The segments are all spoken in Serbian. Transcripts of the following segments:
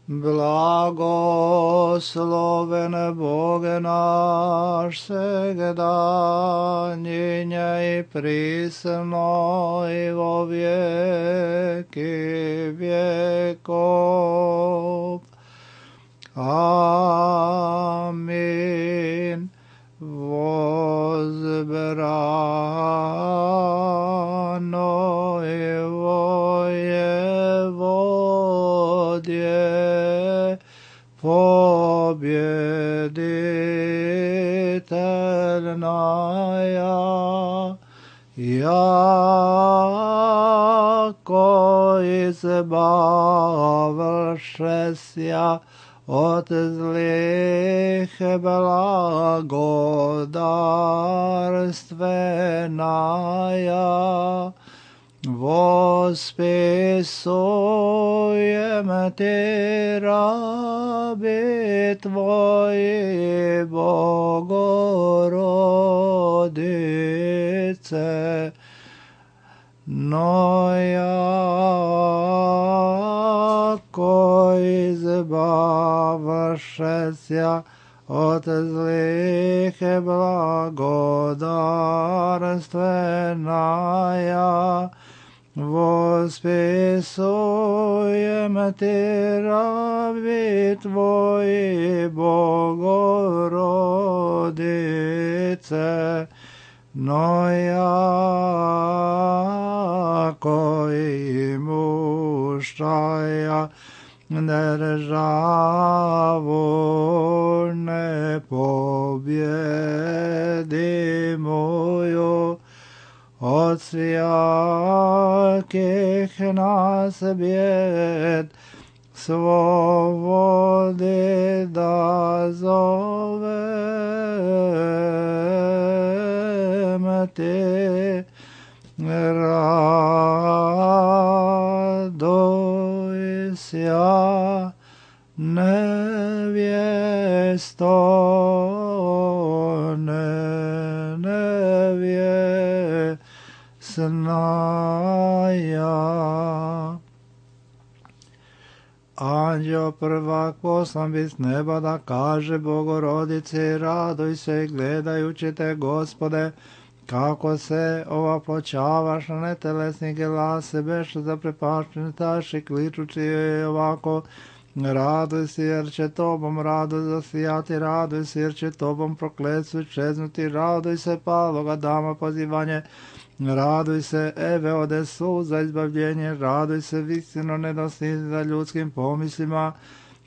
Blagosloven Boge naš, svegda njenja i prisno i vo vijeki vjekov. Amin. Возбрано его Еводье, победительная, яко избавившися от злых благодарственная, восписуем Ти раби Твои, Богородице, но яко избавшися от злых благодарственная, восписуем Ти раби Твои, Богородице, но яко имущая державу непобедимую от всяких нас бед, свободы дозовем Ти, радуйся, невесто, невесная. Anđeo prvak poslan bi s neba da kaže Bogorodici, raduj se gledajući te, Gospode, kako se ovaploćavaš na netelesni glas, beš zaprepašćen i kličući joj ovako, raduj se jer će tobom radost zasijati, raduj se jer će tobom prokletstvo iščeznuti, raduj se paloga dama pozivanje, raduj se Eve ode suza izbavljenje, raduj se visino nedostižna ljudskim pomislima,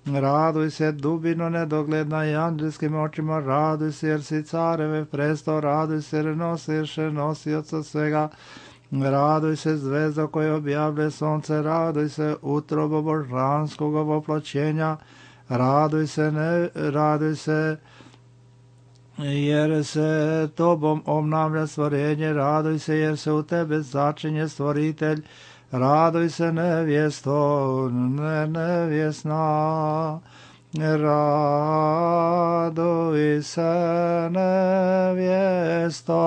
raduj se dubino nedogledna i anđelskim očima, raduj se jer si careve presto, raduj se jer nosiš nosioca svega, raduj se zvezda koja objavlja sonce, raduj se utrobo božanskog ovoploćenja, raduj se jer se tobom obnavlja stvorenje, raduj se jer se u tebe začinje stvoritelj, raduj se nevjesto, nevjesna, raduj se nevjesto,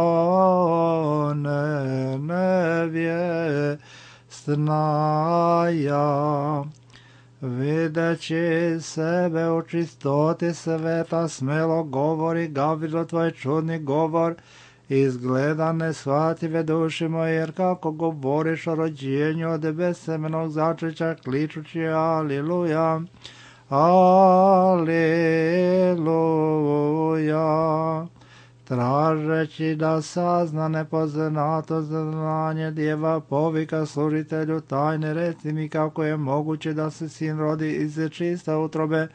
nevjesnaja. Videći sebe u čistoti sveta, smelo govori Gavrilo tvoj čudni govor, izgleda neshvatljive duši moje, jer kako govoriš o rođenju od bezsemenog začeća, kličući Aliluja, Aliluja, tražeći da sazna nepoznato znanje djeva, povika služitelju tajne, reci mi kako je moguće da se sin rodi iz čista utrobe,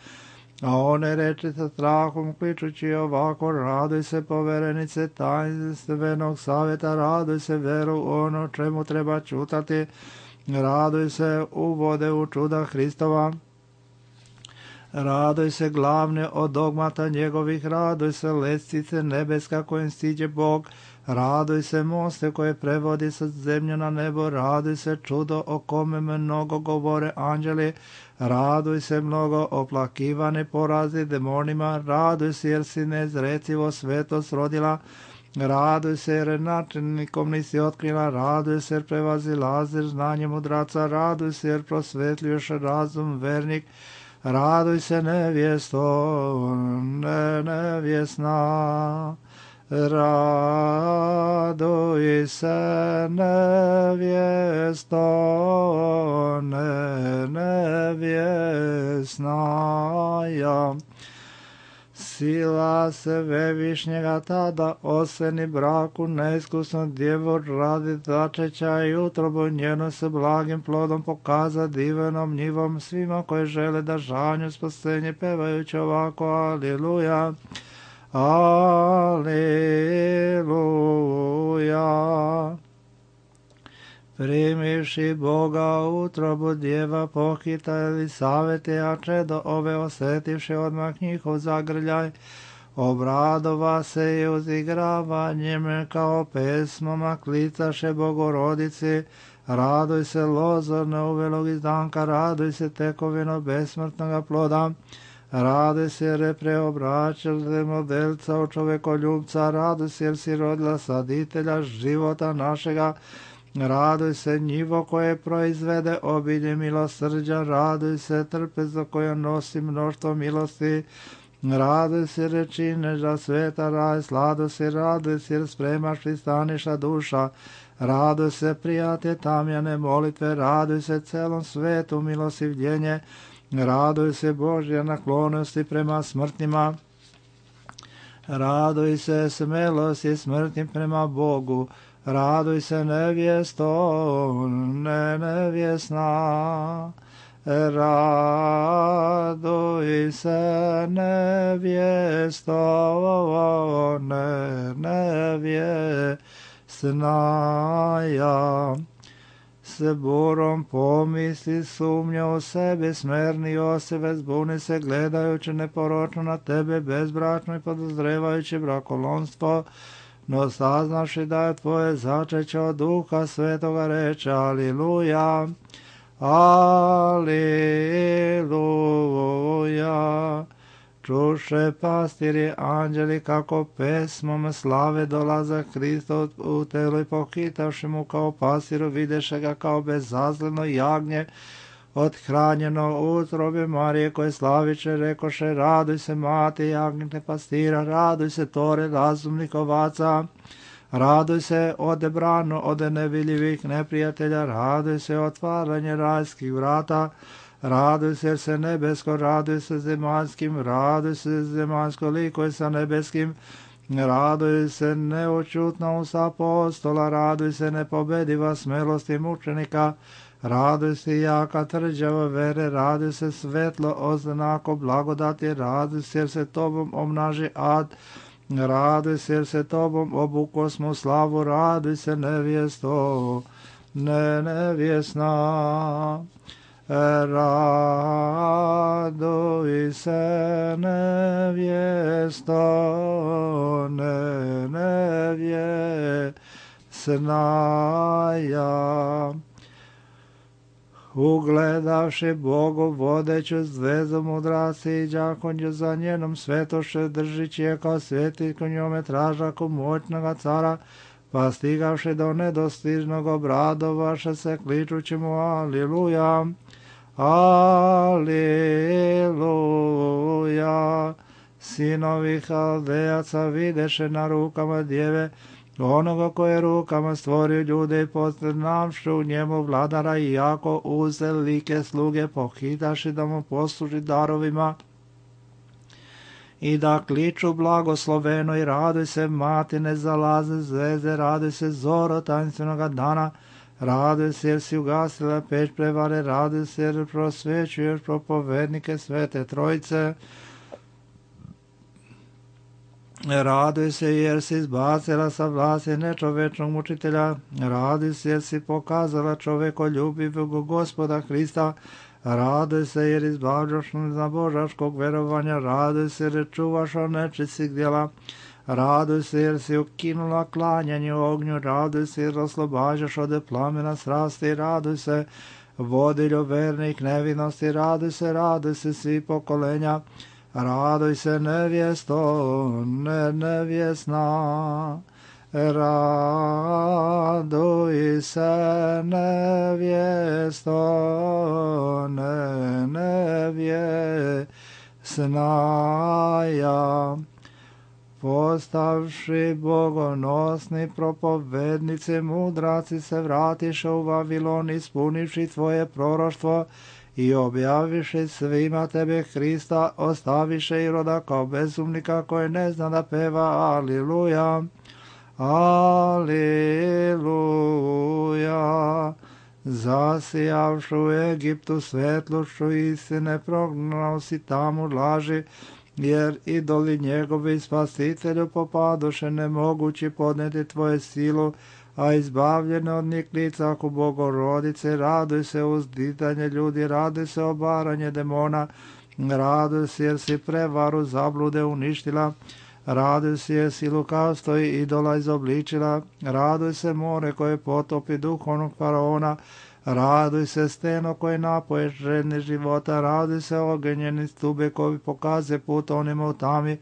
a one reči sa strahom kličući ovako, raduj se poverenice tajnstvenog savjeta, raduj se veru ono čemu treba čutati, raduj se uvode u čuda Hristova, raduj se glavne od dogmata njegovih, raduj se lestvice nebeska kojim stiđe Bog, raduj se moste koje prevodi sa zemlje na nebo, raduj se čudo o kome mnogo govore anđeli, raduj se mnogo oplakivane porazi demonima, raduj se jer si nezrecivo svetost rodila, raduj se jer načelnikom nisi otkrila, raduj se jer prevazilaziš znanje mudraca, raduj se jer prosvetljuješ razum vernik, raduj se nevjesto, nevjesna. Raduj se nevjesto, nevjesna. Sila se Svevišnjega tada oseni braku neiskusnu djevu radi začeća i utrobu njenu se blagim plodom pokaza divenom njivom svima koji žele da žanju spasenje pevajući ovako aliluja. Aliluja. Primivši Boga utrobu djeva pohita Elisavete, a čedo ove osetivši odmah njihov zagrljaj, obradova se i uzigravanjem kao pesmama klicaše Bogorodici. Raduj se lozo neuvelog izdanka, raduj se tekovino besmrtnoga ploda, raduj se jer je preobraćaš zemodelca u čovekoljubca, raduj se jer si rodila saditelja života našega, raduj se njivo koje proizvede obilje milosrđa, raduj se trpezo koje nosi mnoštvo milosti, raduj se jer čineš da sveta raj, sladu si, raduj se jer spremaš pristaniša duša, raduj se prijatelj tamjane molitve, raduj se celom svetu milosivljenje, raduj se Božja naklonosti prema smrtnima, raduj se smelosti smrtnim prema Bogu, raduj se nevjesto, nevjesna. Raduj se nevjesto, nevjesna. Ja se burom pomisli, sumnja u sebi, smerni osebe, zbuni se gledajući neporočno na tebe, bezbračno i podozrevajući brakolonstvo, no saznaši da je tvoje začeće od Duha Svetoga reče aliluja, aliluja. Čuše pastiri anđeli kako pesmom slave dolaza Hristo u telu i pohitavši mu kao pastiru videše ga kao bezazleno jagnje othranjeno u utrobi Marije koje slaviće rekoše raduj se mati jagnjete pastira, raduj se tore razumnih ovaca, raduj se odebrano od nevidljivih neprijatelja, raduj se otvaranje rajskih vrata, raduj se jer se nebesko, raduj se zemaljskim, raduj se zemaljsko likoj sa nebeskim, raduj se neočutna usta apostola, raduj se nepobediva smelosti mučenika, raduj se jaka tvrđava vere, raduj se svetlo oznako blagodati, raduj se jer se tobom omnaži ad, raduj se jer se tobom obukosmo slavu, raduj se nevjesto, nevjesna. Raduj se nevjesto, nevjesna. Ja ugledavši Bogu vodeću zvezu mudraci i đakonju za njenom svetoše držići je kao sveti ko njome tražaku moćnoga cara, pa stigavši do nedostižnog obradovaše se kličući mu aliluja, aliluja. Sinovi Haldejaca videše na rukama djeve onoga koje rukama stvorio ljude i poznavši u njemu vladara i jako uze like sluge pohitaši da mu posluži darovima i da kliču blagosloveno i raduj se mati nezalazne zvezde, raduj se zoro tajinstvenoga dana, raduj se jer si ugasila peć prevare, raduj se jer prosvećuješ propovednike Svete Trojice, raduj se jer si izbacila sa vlasti nečovečnog mučitelja, raduj se jer si pokazala čovekoljubivog Gospoda Hrista, raduj se jer izbavljaš za božačkog verovanja, raduj se jer čuvaš od nečistih djela, raduj se jer si ukinula klanjanje u ognju, raduj se jer oslobađaš od plamena strasti, raduj se vodilju vernih nevinosti, raduj se svi pokolenja, raduj se nevjesto, nevjesna. Raduj se nevjesto, nevjesnaja, postavši bogonosni propovednici, mudraci se vratiše u Vavilon, ispunivši tvoje proroštvo i objaviše svima tebe Hrista, ostaviše Iroda kao bezumnika koji ne zna da peva. Aliluja, aliluja. Zasijavšu u Egiptu svetlošću istine, prognao si tamo laži, jer idoli njegovi spasitelju popadoše, nemogući podneti tvoje silu, a izbavljene od njih lica ako Bogorodice. Raduj se uzditanje ljudi, raduj se obaranje demona, raduj se jer si prevaru zablude uništila, raduj se jer si lukavstvo i idola izobličila, raduj se more koje potopi duhovnog faraona, raduj se steno koje napoje žedne života, raduj se ogenjeni stube koji pokaze put onima u tami,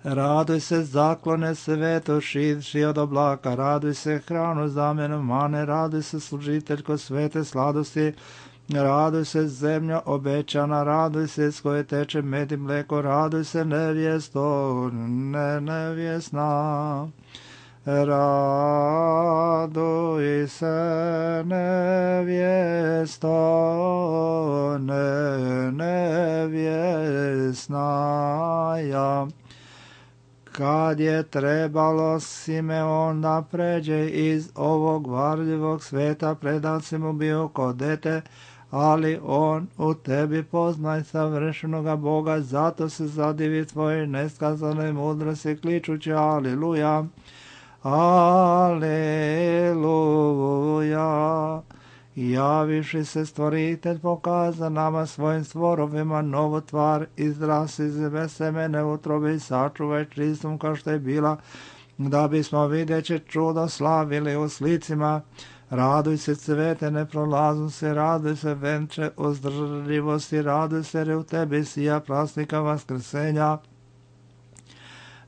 raduj se zaklone sveto šidši od oblaka, raduj se hranu zamjenu mane, raduj se služiteljko svete sladosti, raduj se zemlja obećana, raduj se s koje teče med i mleko, raduj se nevjesto, nevjesna. Raduj se nevjesto, nevjesnaja. Kad je trebalo, Simeon da pređe iz ovog varljivog sveta, predan si mu bio ko dete, ali on u tebi poznaj savršenoga Boga, zato se zadivi tvoje neskazane mudrosti, kličući aliluja, aliluja. Javiši se stvoritelj, pokaza nama svojim stvorovima novu tvar, izras iz semene utrobe i sačuvaj čistom kao što je bila, da bismo videće čudo slavili u slicima. Raduj se cvete neprolaznosti, raduj se venče uzdržljivosti, raduj se jer u tebi sija prasnika vaskrsenja.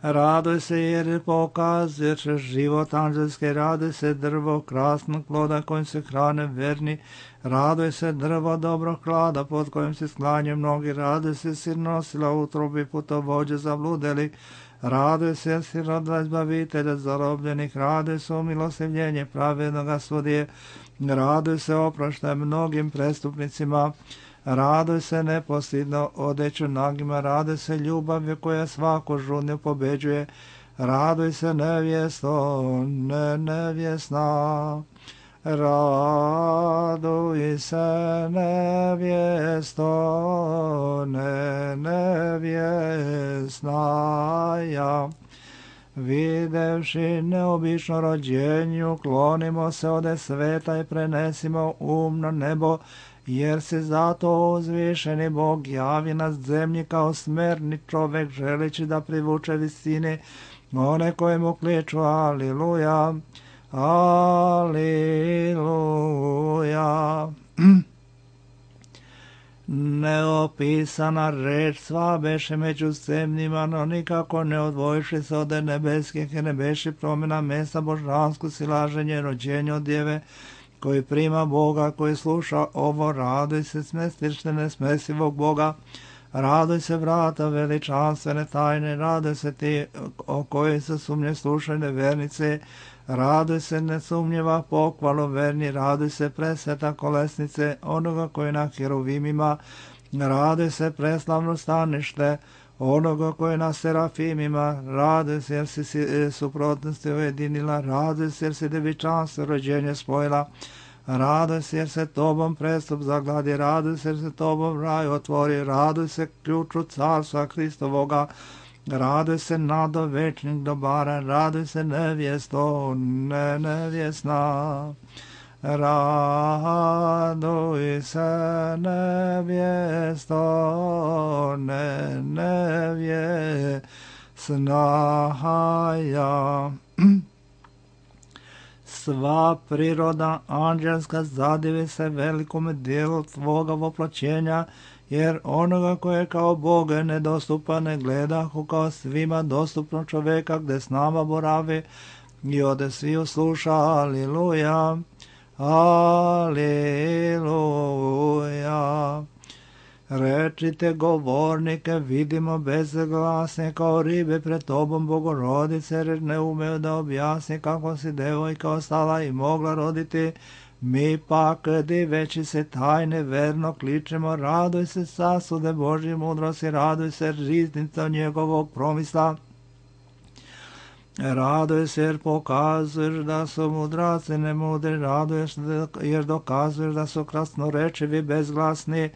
Raduj se jer pokazuješ život anđelski, raduj se drvo krasnog ploda kojim se hrane verni, raduj se drvo dobrog klada pod kojim se sklanjaju mnogi, raduj se si nosila utrobi putovođe zabludeli, raduj se jer si rodila izbavitelja zarobljenih, raduj se umilostivljenje pravednoga sudije, raduj se oproštaj mnogim prestupnicima, raduj se nepostidno odeću nagima, raduj se ljubavlju koja svaku žudnju pobeđuje, raduj se nevjesto, nevjesna, raduj se nevjesto, nevjesnaja. Videvši neobično rođenju, klonimo se ode sveta i prenesimo na nebo, jer se zato uzvišeni Bog javi na zemlji kao smerni čovek, želeći da privuče visine one koje mu kliču aliluja, aliluja. Neopisana reč sva beše među zemljima, no nikako ne odvojiši se od nebeskih i ne beši promjena mesta božansko silaženje rođenja od djeve, koji prima Boga, koji sluša ovo, raduj se smestište nesmesivog Boga, raduj se vrata veličanstvene tajne, raduj se ti o kojoj se sumnje slušaju nevernice, raduj se nesumnjiva pohvalu verni, raduj se presveta kolesnice onoga koji na heruvimima, raduj se preslavno stanište onoga koji na serafimima, raduj se jer si suprotnosti ujedinila, raduj se jer si devičanstvo rođenje spojila, raduj se jer se tobom prestup zagladi, raduj se jer se tobom raj otvori, raduj se ključu carstva Hristovoga, raduj se nado večnih dobara, raduj se nevjesto, nevjesna. Raduj se nevjesto, nevjesnaja. sva priroda anđelska zadivi se velikome dijelu tvoga voplaćenja, jer onoga koje kao Boga nedostupa ne gledahu kao svima dostupno čoveka gde s nama boravi i ode svi usluša. Aliluja, aliluja. Rečite govornike, vidimo bezglasne kao ribe pred tobom, Bogorodice, jer ne umeju da objasni kako si devojka ostala i mogla roditi. Mi pak, diveći se tajne, verno kličemo, raduj se sasude Božje mudrosti, raduj se riznica njegovog promisla. Raduj se jer pokazuješ da su mudraci nemudri, raduješ jer dokazuješ da su krasnorečivi bezglasni.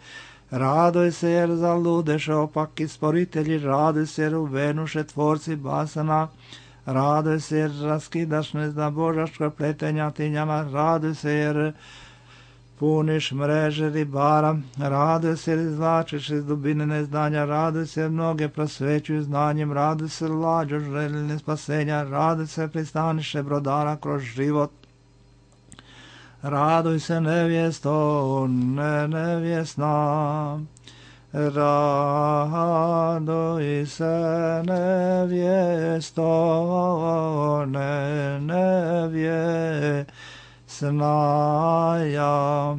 Raduj se jer zaludeše opaki sporitelji, raduj se jer uvenuše tvorci basana, raduj se jer raskidaš neznabožačka pletenja tinjama, raduj se jer puniš mreže ribara, raduj se jer izvlačiš iz dubine neznanja, raduj se jer mnoge prosvećuju znanjem, raduj se lađo željene spasenja, raduj se pristaniše brodara kroz život. Raduj se nevjesto, nevjesna, raduj se nevjesto, nevjesna ja.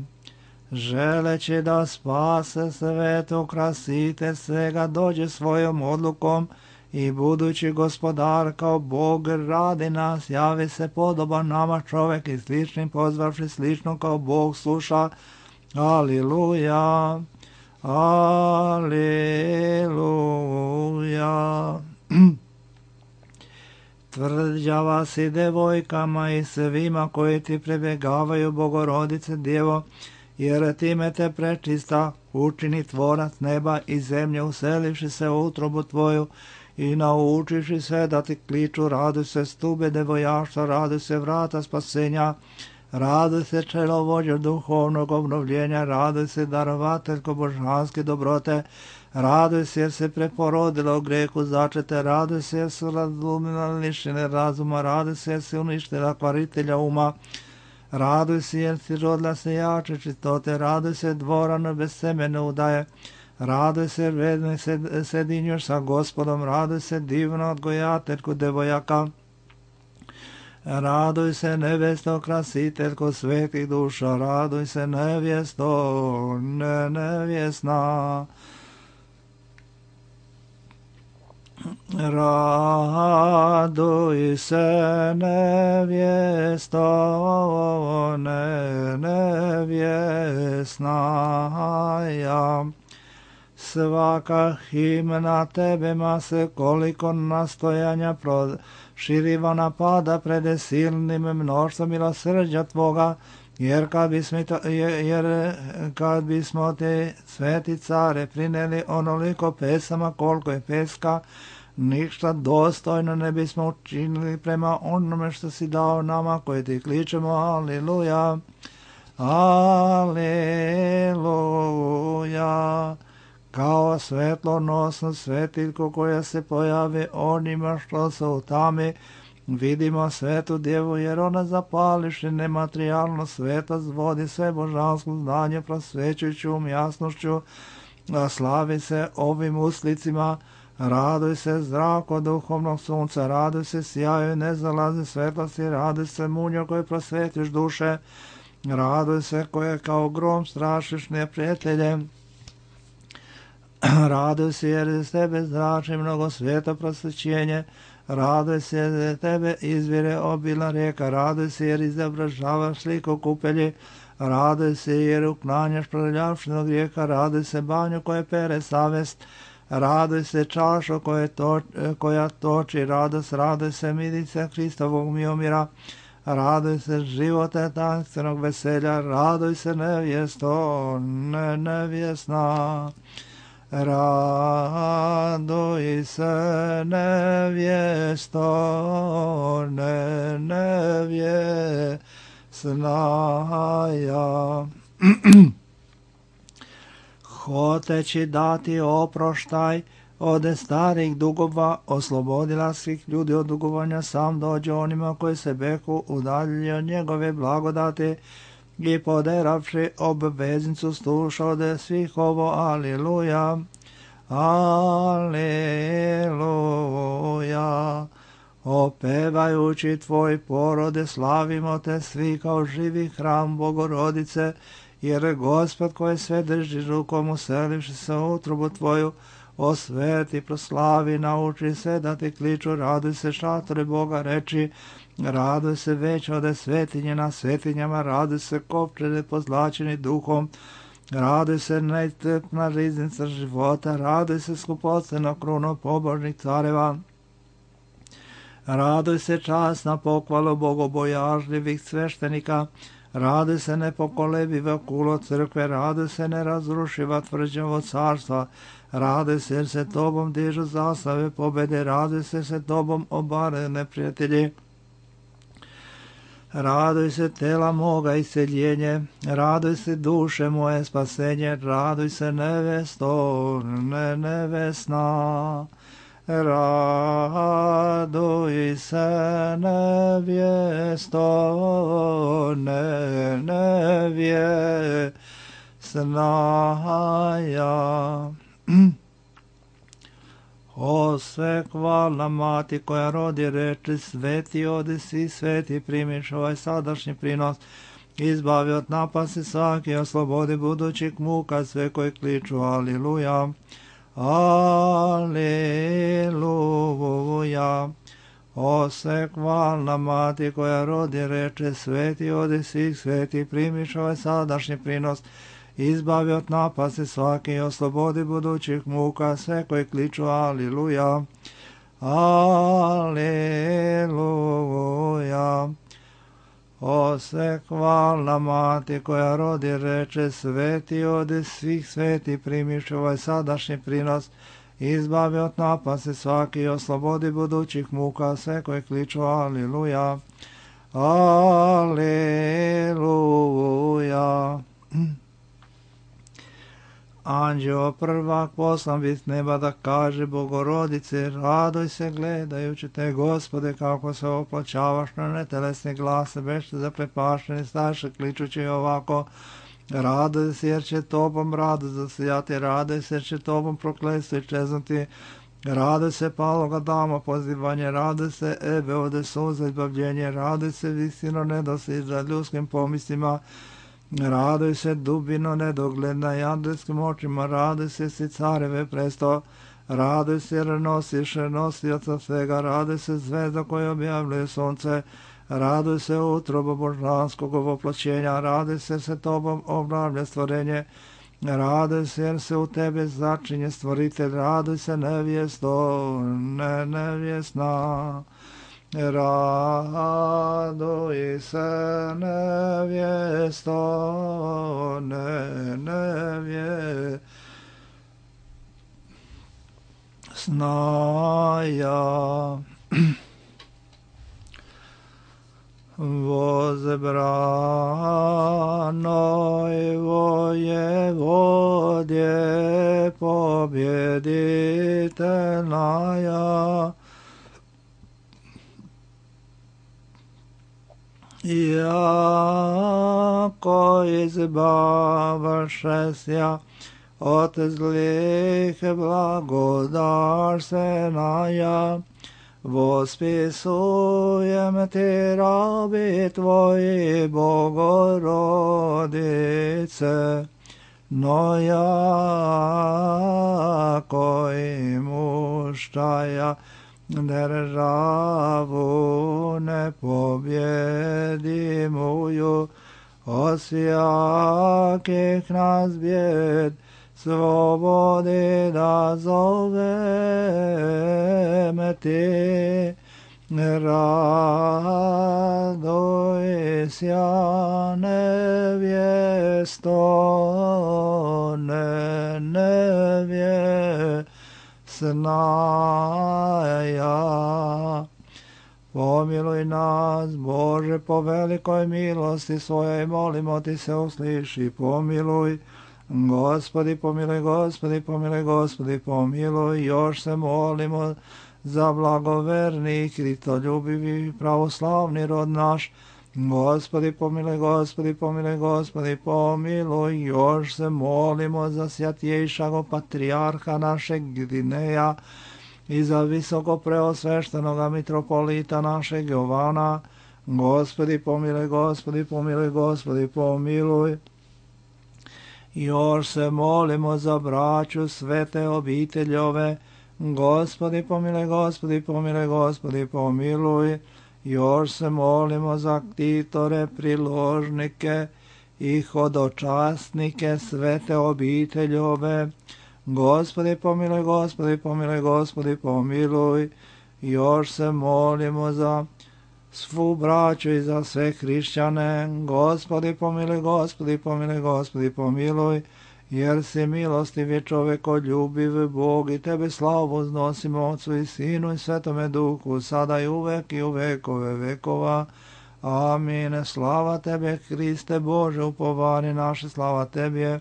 Želeći da spase svetu krasite svega, dođe svojom odlukom i budući gospodar kao Bog radi nas, javi se podoban nama čovek i sličnim pozvavši slično kao Bog sluša. Aliluja, aliluja. Tvrđava si devojkama i svima koji ti prebjegavaju, Bogorodice Djevo, jer time te prečista učini tvorac neba i zemlje, uselivši se u utrobu tvoju i naučiši sve da ti kliču. Raduj se stube devojaštva, raduj se vrata spasenja, raduj se čelovođa duhovnog obnovljenja, raduj se darovateljko božanske dobrote, raduj se jer se preporodila u grehu začete, raduj se jer su razumila lišene razuma, raduj se jer se uništila kvaritelja uma, raduj se jer si rodila se jače čistote, raduj se dvorano bez semene udaje, raduj se vedno sedinjuš sa Gospodom, raduj se divno odgojateljku devojaka, raduj se nevesto krasiteljko svetih duša, raduj se nevjesto, nevjesna. Raduj se nevjesto, nevjesna ja. Svaka himna tebe ma se koliko nastojanja proširiva napada pred silnim mnoštvom milosrđa tvoga, jer kad bismo te sveti care prineli onoliko pesama koliko je peska, ništa dostojno ne bismo učinili prema onome što si dao nama koji ti kličemo. Aliluja, aliluja. Kao svetlonosnu svetiljku koja se pojavi onima što su u tami, vidimo svetu djevu, jer ona zapališi nematerijalno sveta, zvodi sve božansko znanje prosvećujućom jasnošću, a slavi se ovim uslicima. Raduj se zrako duhovnog sunca, raduj se sjaju nezalaze svetlosti, raduj se munjo koje prosvetiš duše, raduj se koje kao grom strašiš neprijatelje, raduj se jer iz tebe zrači mnogo sveta prosvećenje, raduj se jer iz tebe izvire obila rijeka, raduj se jer izobražavaš sliku kupelji, raduj se jer uklanjaš prljavštinu grijeha, raduj se banju koje pere savest, raduj se čašo koja toči radost, raduj se midice Hristovog miomira, raduj se živote tanstvenog veselja, raduj se nevjesto, nevjesna. Raduj se nevjesto, nevjesna ja. Hoteći dati oproštaj, Ode starih dugova oslobodila svih ljudi od dugovanja, sam dođe onima koji se beku udaljili od njegove blagodati i poderavši obveznicu sluša ode svih ovo. Aliluja, aliluja. Opevajući tvoj porode, slavimo te svi kao živi hram Bogorodice, jer Gospod koji sve drži rukom uselivši se u utrobu tvoju, osveti, proslavi, nauči se da ti kliču, raduj se šatore Boga, reči, raduj se već ode svetinje na svetinjama, raduj se kopčene pozlačeni duhom, raduj se najtrpna riznica života, raduj se skupocena kruno pobožnih careva, raduj se časna pohvalu bogobojažljivih sveštenika, raduj se nepokolebiva kulo crkve, raduj se nerazrušiva tvrđavo carstva, raduj se jer se tobom dižu zastave pobede, raduj se tobom obare neprijatelji. Raduj se tela moga isceljenje, raduj se duše moje spasenje, raduj se nevesto, nevesna. Raduj se nevjesto, nevjesnaja. O sve hvalna mati koja rodi reči, sveti odi svi sveti, primiš ovaj sadašnji prinos, izbavi od napasti svaki, oslobodi budućih muka sve koji kliču. Aliluja, aliluja. O sve hvalna mati koja rodi reče, sveti odi svih sveti, primiš ovaj sadašnji prinos, izbavi od napasti svaki i oslobodi budućih muka sve koji kliču. Aliluja, aliluja. O sve hvalna mati koja rodi reče, sveti odi svih sveti, primiš ovaj sadašnji prinos, izbavi od napasti svaki i oslobodi budućih muka sve koji kliču. Aliluja, aliluja. Anđeo prvak poslan bi s neba da kaže Bogorodice, raduj se gledajući te, Gospode, kako se oplaćavaš na netelesne glase, bešte zaprepašteni starše, kličući ovako, raduj se jer će tobom radost zasijati, raduj se jer će tobom prokletstvo iščeznuti, raduj se paloga dama pozivanje, raduj se Ebe ode suza izbavljenje, raduj se visino nedostižna ljudskim pomislima, raduj se dubino nedogledna i andelskim očima, raduj se si careve presto, raduj se jer nosiš nosioca svega, raduj se zvezda koja objavljuje sunce, raduj se utrobo božanskog ovoploćenja, raduj se tobom obnavlja stvorenje, raduj se jer se u tebe začinje stvoritelj, raduj se nevjesto, nevjesna. Raduj se nevjesto, nevjesnaja. Возбранoj воеводje победительная, яко избавшеся от злых благодарственная, восписуем ти раби твои, Богородице, но яко имущая державу непобедимую, от всяких нас бед свободы да зовем ти. Радуйся, невесто, невесная. Помилуй нас, Боже, по великой милости Своей, молимо Ти се услыши, помилуй. Gospodi pomiluj, Gospodi pomiluj, Gospodi pomiluj, još se molimo za blagoverni i kristoljubivi pravoslavni rod naš. Gospodi pomiluj, Gospodi pomiluj, Gospodi pomiluj, još se molimo za svjatjejšago patrijarha našeg Gdineja i za visoko preosveštenoga mitropolita našeg Jovana. Gospodi pomiluj, Gospodi pomiluj, Gospodi pomiluj. Još se molimo za braću svete obiteljove. Gospodi pomiluj, Gospodi pomiluj, Gospodi pomiluj. Još se molimo za ktitore, priložnike i hodočasnike svete obiteljove. Gospodi pomiluj, Gospodi pomiluj, Gospodi pomiluj. Još se molimo za svu braću i za sve hrišćane. Gospodi pomiluj, Gospodi pomiluj, Gospodi pomiluj. Jer si milostiv je čovekoljubiv Bog i tebe slavu uznosimo Otcu i Sinu i Svetome Duhu, sada i uvek i u vekove vekova. Amin. Slava tebe, Hriste Bože, upovanje naše, slava tebi.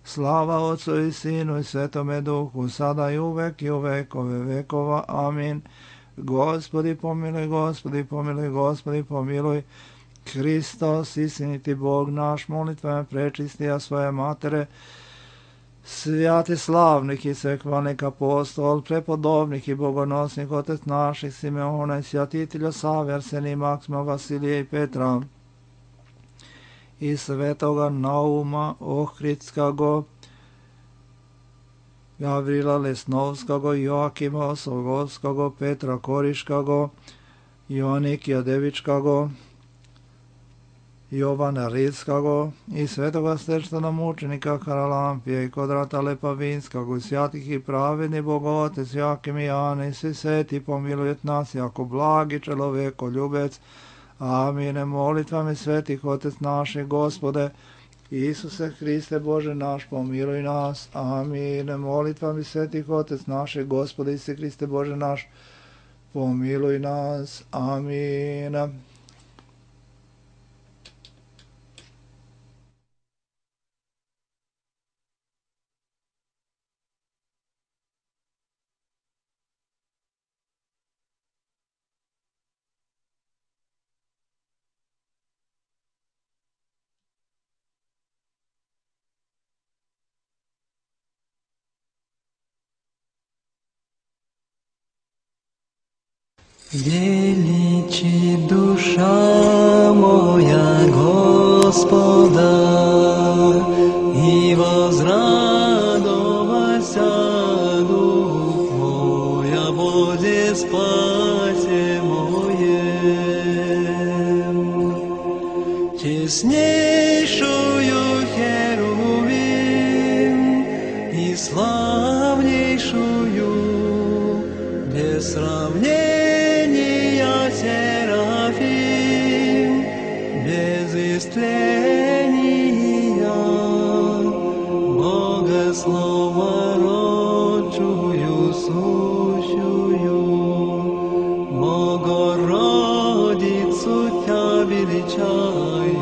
Slava Otcu i Sinu i Svetome Duhu, sada i uvek i u vekove vekova. Amin. Gospodi pomiluj, Gospodi pomiluj, Gospodi pomiluj. Hristos, istiniti Bog naš, molitvama prečistija svoje matere, svjati slavnih i svekvanih apostol, prepodobnih i bogonosnih otec naših Simeona i svjatitelja Save, Arsenija, Maksima, Vasilija i Petra, i svetoga Nauma Ohridskago, Gavrila Lesnovskago, Joakima Osogovskago, Petra Koriškago, Joanikija Devičkago, Jovana Ridskago i svetoga stečtana mučenika Haralampija i Kodrata Lepavinskog i svjatih i pravedni Bogotec Jakim i Jane i svi sveti pomilujet nas jako blagi čeloveko ljubec. Amine. Molitvami svetih Otec naših Gospode Isuse Hriste Bože naš, pomiluj nas. Amine. Molitvami svetih Otec naših Gospode Isuse Hriste Bože naš, pomiluj nas. Amine. Величи душа моя Господа, и возрадовался дух мой о Боге спасе моем. Честнейшую херувим и славнейшую без сравнения Серафим, без истления, Богослова родчую сущую, Богородицу Тя величаем.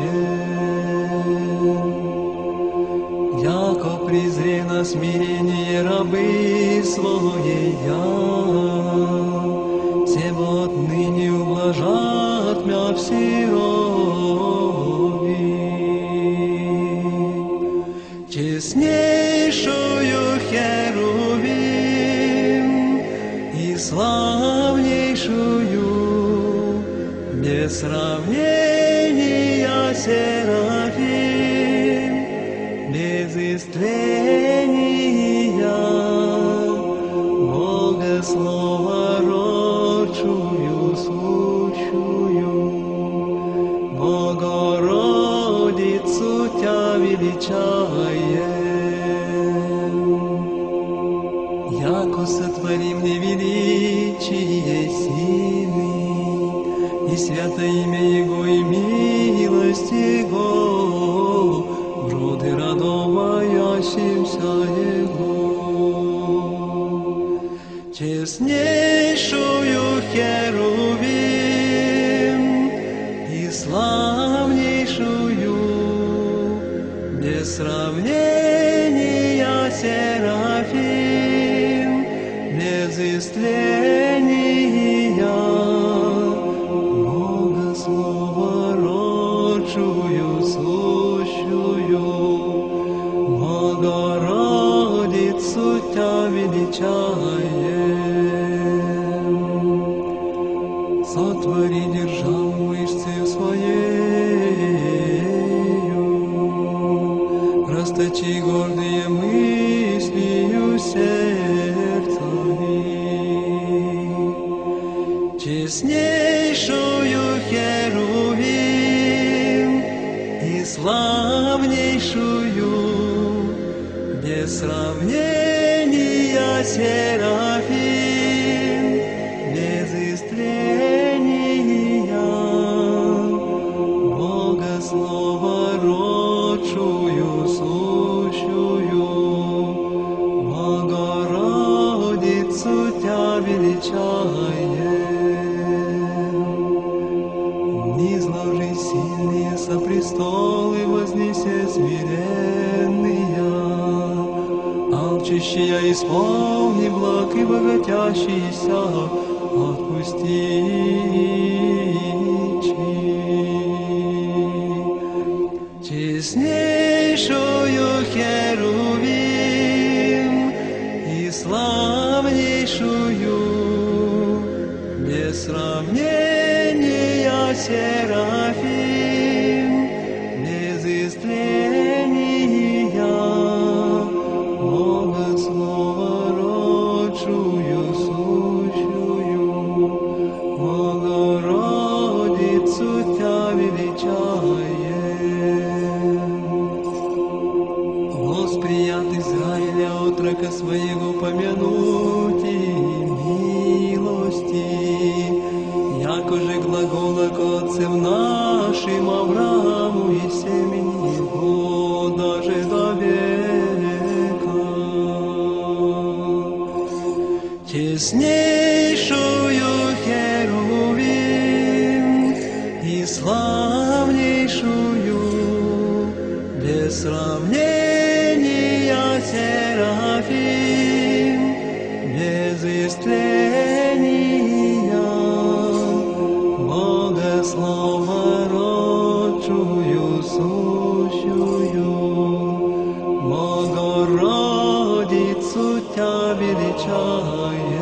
Яко презре на смирение рабы своей вот ныне ублажат мя все роби. Честнейшую херувим и славнейшую без сравнения Серафим, без истления Богослова родчую сущую, Богородицу Тя величаем. Яко сотворим невеличие силы, и святое имя Его, и милость Его, в роды радоваящимся Его. Честнейшую херувим и славнейшую без сравнения Серафим, без истления, Бога Слова родшую, сущую, Богородицу Тя величаем. Сотвори державу мышцею своею, расточи гордые мыслью сердцами. Честнейшую Херувим и славнейшую, без сравнения Серафим, без истления, Бога Слова родшую, сущую, Богородицу Тя величаем. Низложи сильные со престолы, вознесе смиренные, алчащие исполни благ и богатящиеся отпусти. Честнейшую Херувим и славнейшую, без сравнения Серафим, без истления, Бога Слова родшую, сущую, Богородицу Тя величаем. Восприят Израиля отрока своего помянуть и милости, якоже глагола к отцам нашим Аврааму и семени его даже до века. Честнейшую Херувим и славнейшую, без сравнения Серафим, без истления, Бога Слова родшую, сущую, Богородицу Тя величаем.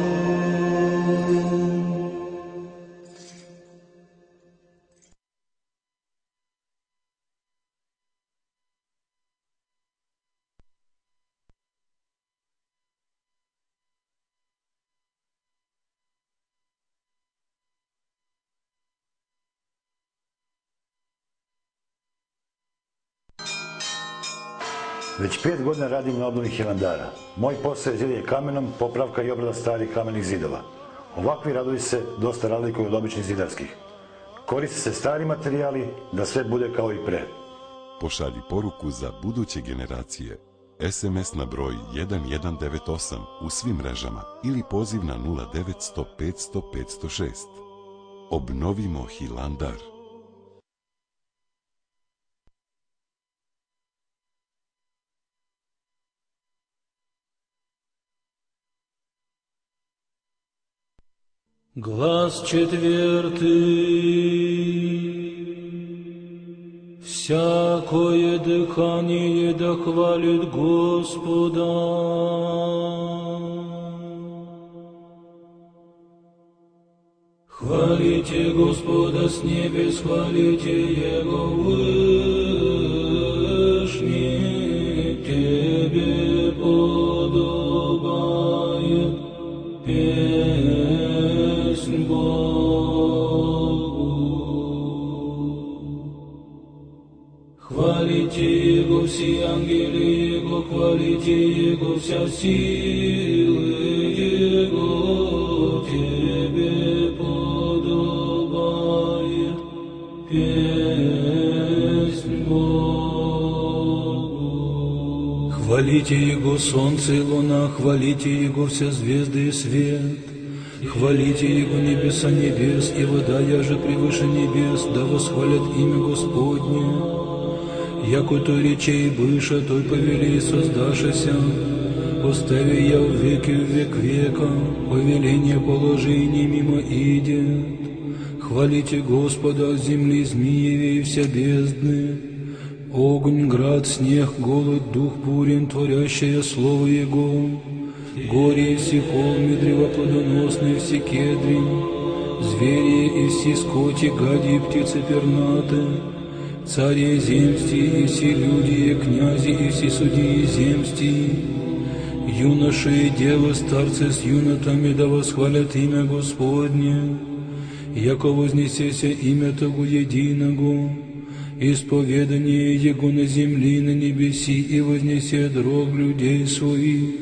Već 5 godina radim na obnovi Hilandara. Moj posao je zidanje kamenom, popravka i obrada starih kamenih zidova. Ovakvi radovi se dosta razlikuju od običnih zidarskih. Koriste se stari materijali da sve bude kao i pre. Pošalji poruku za buduće generacije. SMS na broj 1198 u svim mrežama ili poziv na 0900 500 506. Obnovimo Hilandar. Глас четвертый. Всякое дыхание да хвалит Господа. Хвалите Господа с небес, хвалите Его вышний, Тебе подобает песнь Богу. Хвалите Его все ангелы Его, хвалите Его вся силы Его, Тебе подобает песнь Богу. Хвалите Его солнце и луна, хвалите Его все звезды и свет. Хвалите Его небеса небес, и вода яже превыше небес, да восхвалят имя Господне. Яко той речей быша, той повели создашися, постави я в век века, повеление положений мимо идет. Хвалите Господа от земли змееве и вся бездны, огонь, град, снег, голод, дух бурен, творящее слово Его, горе и все холмы, древа плодоносные, все кедри, звери и все скоти, гади и птицы пернаты, цари земсти и все люди, и князи и все судьи земсти, юноши и девы, старцы с юнотами, да восхвалят имя Господне, яко вознесеся имя Того единого, исповедание Его на земли, на небеси, и вознесет рог людей своих,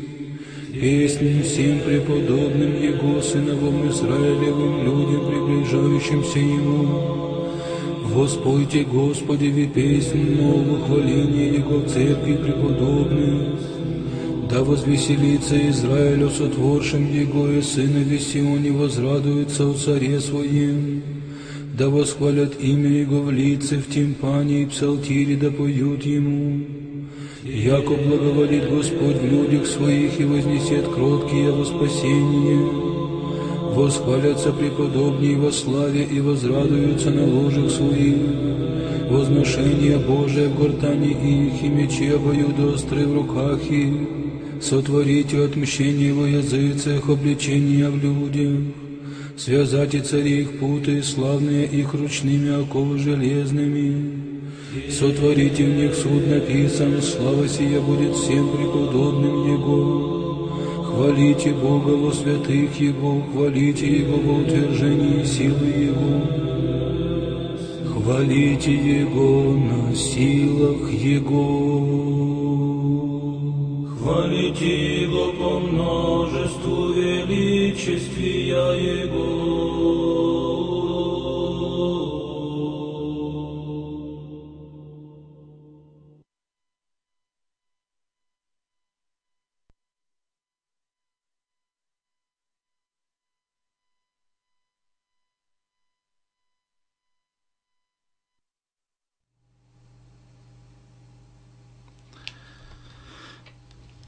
песнь всем преподобным Его, сыновом Израилевым, людям, приближающимся Ему. Воспойте Господи песнь новую, хваление Его в церкви преподобных. Да возвеселится Израиль о сотворшем Его, и сынове Сионе возрадуется о царе своем. Да восхвалят имя Его в лице, в тимпане и псалтире, да поют Ему. Яко благоволит Господь в людях своих и вознесет кроткие во спасение. Восхвалятся преподобнее во славе и возрадуются на ложах своих. Возношение Божие в гортани их, и мечи обоюдоострые в руках их. Сотворите отмщение во языцах, обличения в людях. Связайте цари их путы, славные их ручными оковы железными. Сотворите в них суд написан, слава сия будет всем преподобным Его. Хвалите Бога во святых Его, хвалите Его во утверждении силы Его. Хвалите Его на силах Его. Хвалите Его по множеству величествия Его.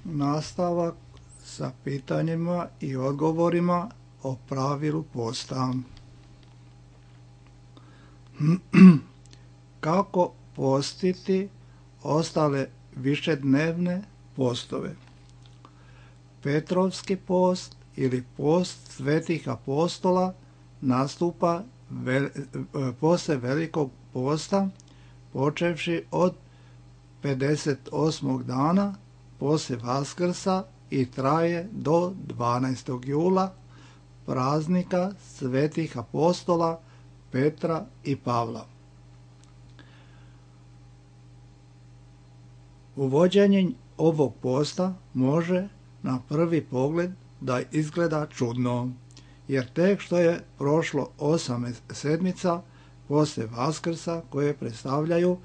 Nastavak sa pitanjima i odgovorima o pravilu posta. Kako postiti ostale višednevne postove? Petrovski post ili post svetih apostola nastupa posle Velikog posta, počevši od 58. dana poslije Vaskrsa i traje do 12. jula, praznika svetih apostola Petra i Pavla. Uvođenje ovog posta može na prvi pogled da izgleda čudno, jer tek što je prošlo 8 sedmica poslije Vaskrsa koje predstavljaju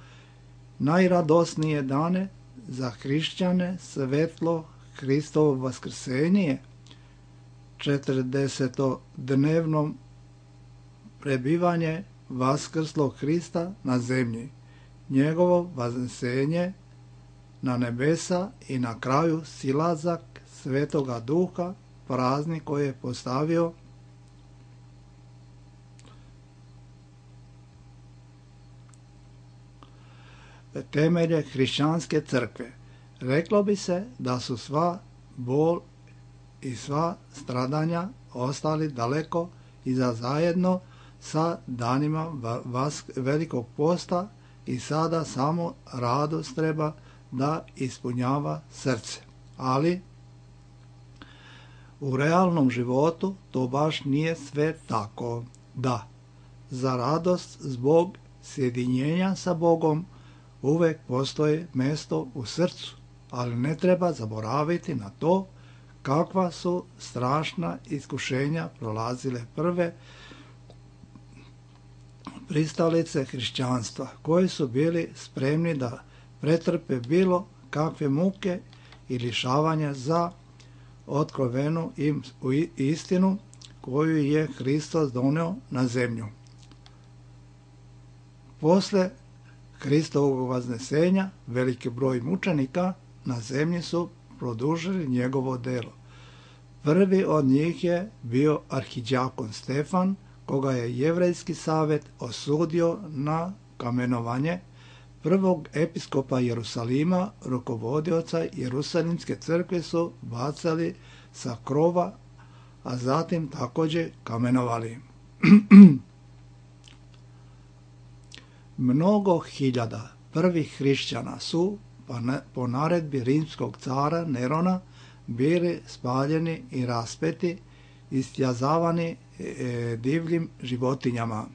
najradosnije dane za hrišćane, svetlo Hristovo vaskrsenje, 40-dnevno prebivanje vaskrslog Hrista na zemlji, njegovo vaznesenje na nebesa i na kraju silazak Svetoga Duha, praznik koji je postavio temelje hrišćanske crkve. Reklo bi se da su sva bol i sva stradanja ostali daleko iza zajedno sa danima Velikog posta i sada samo radost treba da ispunjava srce. Ali u realnom životu to baš nije sve tako. Da, za radost zbog sjedinjenja sa Bogom uvek postoji mesto u srcu, ali ne treba zaboraviti na to kakva su strašna iskušenja prolazile prve pristalice hrišćanstva, koji su bili spremni da pretrpe bilo kakve muke i lišavanja za otkrovenu im istinu koju je Hristos doneo na zemlju. Posle Hristovog vaznesenja veliki broj mučenika na zemlji su produžili njegovo delo. Prvi od njih je bio arhidjakon Stefan, koga je Jevrejski savjet osudio na kamenovanje, prvog episkopa Jerusalima, rukovodioca Jerusalimske crkve su bacali sa krova, a zatim također kamenovali. Mnogo hiljada prvih hrišćana su po naredbi rimskog cara Nerona bili spaljeni i raspeti, istjazavani divljim životinjama.